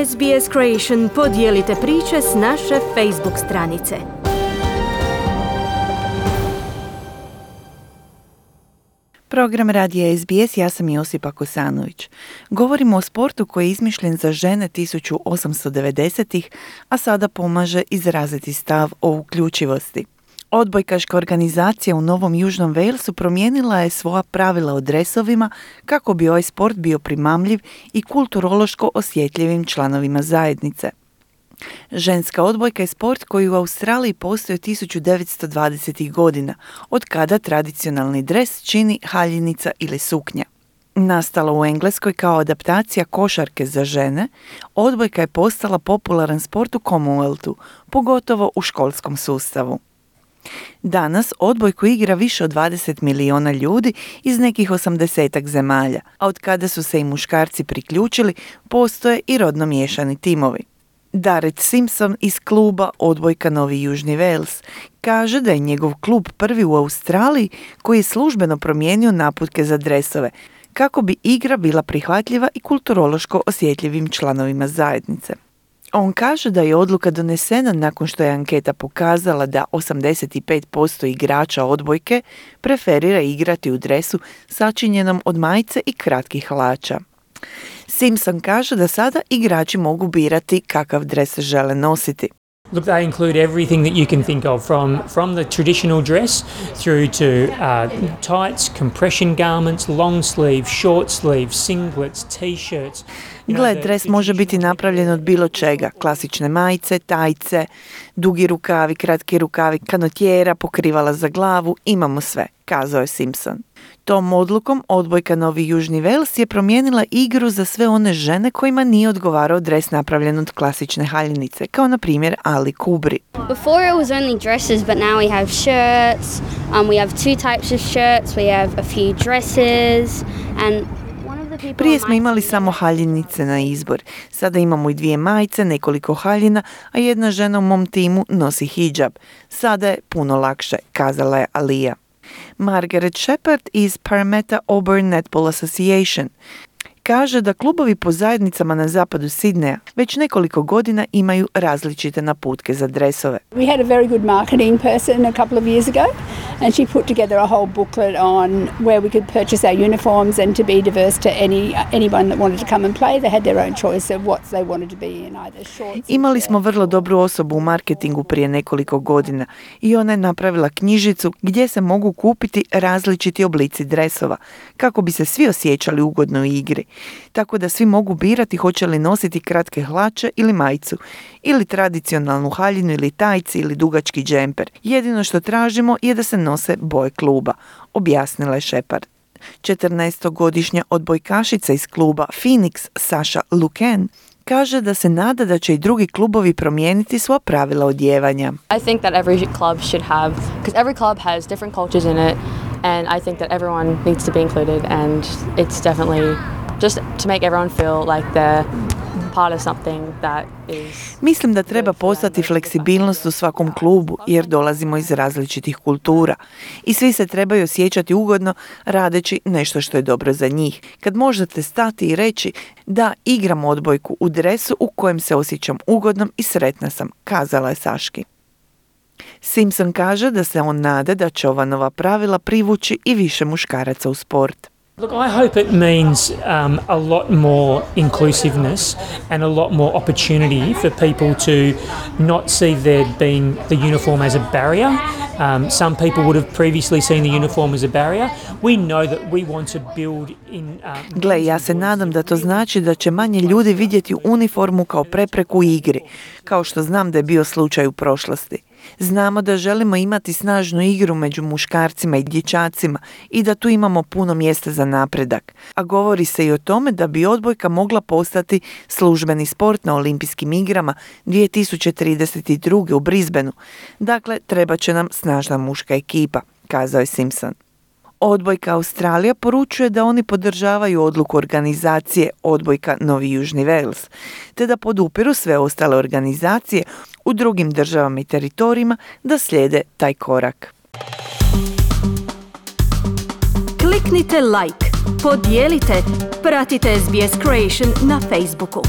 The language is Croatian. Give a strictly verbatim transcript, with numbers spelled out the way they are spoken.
S B S Creation podijelite priče s naše Facebook stranice. Program radija S B S, ja sam Josipa Kosanović. Govorimo o sportu koji je izmišljen za žene tisuću osamsto devedesetih, a sada pomaže izraziti stav o uključivosti. Odbojkaška organizacija u Novom Južnom Walesu promijenila je svoja pravila o dresovima kako bi ovaj sport bio primamljiv i kulturološko osjetljivim članovima zajednice. Ženska odbojka je sport koji u Australiji postoji od tisuću devetsto dvadesetih godina, od kada tradicionalni dres čini haljinica ili suknja. Nastala u Engleskoj kao adaptacija košarke za žene, odbojka je postala popularan sport u Commonwealthu, pogotovo u školskom sustavu. Danas odbojku igra više od dvadeset milijuna ljudi iz nekih osamdesetak zemalja, a od kada su se i muškarci priključili, postoje i rodno miješani timovi. Darrett Simpson iz kluba Odbojka Novi Južni Wales kaže da je njegov klub prvi u Australiji koji je službeno promijenio naputke za dresove, kako bi igra bila prihvatljiva i kulturološko osjetljivim članovima zajednice. On kaže da je odluka donesena nakon što je anketa pokazala da osamdeset pet posto igrača odbojke preferira igrati u dresu sačinjenom od majice i kratkih hlača. Simpson kaže da sada igrači mogu birati kakav dres žele nositi. Look, they include everything that you can think of, from from the traditional dress through to uh, tights, compression garments, long sleeve, short sleeve, singlets, t-shirts. Gle, dres može biti napravljen od bilo čega, klasične majice, tajce, dugi rukavi, kratki rukavi, kanotjera, pokrivala za glavu, imamo sve, kazao je Simpson. Tom odlukom Odbojka Novi Južni Wales je promijenila igru za sve one žene kojima nije odgovarao dres napravljen od klasične haljinice, kao na primjer Ali Kubri. Before it was only dresses, but now we have shirts, um, we have two types of shirts, we have a few dresses, and Prije smo imali samo haljinice na izbor. Sada imamo i dvije majice, nekoliko haljina, a jedna žena u mom timu nosi hidžab. Sada je puno lakše, kazala je Alija. Margaret Shepard iz Parramatta Auburn Netball Association kaže da klubovi po zajednicama na zapadu Sidneja već nekoliko godina imaju različite naputke za dresove. We had a very good marketing person a couple of years ago and she put together a whole booklet on where we could purchase our uniforms and to be diverse to any anyone that wanted to come and play. They had their own choice of what they wanted to be in, either shorts. Imali smo vrlo dobru osobu u marketingu prije nekoliko godina i ona je napravila knjižicu gdje se mogu kupiti različiti oblici dresova kako bi se svi osjećali ugodno u igri. Tako da svi mogu birati hoće li nositi kratke hlače ili majicu, ili tradicionalnu haljinu ili tajci ili dugački džemper. Jedino što tražimo je da se nose boje kluba, objasnila je Shepard. četrnaestogodišnja odbojkašica iz kluba Phoenix, Sasha Luken, kaže da se nada da će i drugi klubovi promijeniti svoja pravila odijevanja. I think that every club should have, because every club has different cultures in it, and I think that everyone needs to be included, and it's definitely just to make everyone feel like they're part of something that is... Mislim da treba postati fleksibilnost u svakom klubu jer dolazimo iz različitih kultura i svi se trebaju osjećati ugodno radeći nešto što je dobro za njih. Kad možete stati i reći da igram odbojku u dresu u kojem se osjećam ugodnom i sretna sam, kazala je Saški. Simpson kaže da se on nada da će ova nova pravila privući i više muškaraca u sport. Look, I hope it means um, a lot more inclusiveness and a lot more opportunity for people to not see there being the uniform as a barrier. Um, some people would have previously seen the uniform as a barrier. We know that we want to build in... Um, Gle, ja se nadam da to znači da će manje ljudi vidjeti uniformu kao prepreku u igri, kao što znam da je bio slučaj u prošlosti. Znamo da želimo imati snažnu igru među muškarcima i dječacima i da tu imamo puno mjesta za napredak. A govori se i o tome da bi odbojka mogla postati službeni sport na olimpijskim igrama dvije tisuće trideset druge u Brisbaneu. Dakle, treba će nam snažna muška ekipa, kazao je Simpson. Odbojka Australija poručuje da oni podržavaju odluku organizacije Odbojka Novi Južni Wales, te da podupiru sve ostale organizacije u drugim državama i teritorijima da slijede taj korak. Kliknite like, podijelite, pratite S B S Creation na Facebooku.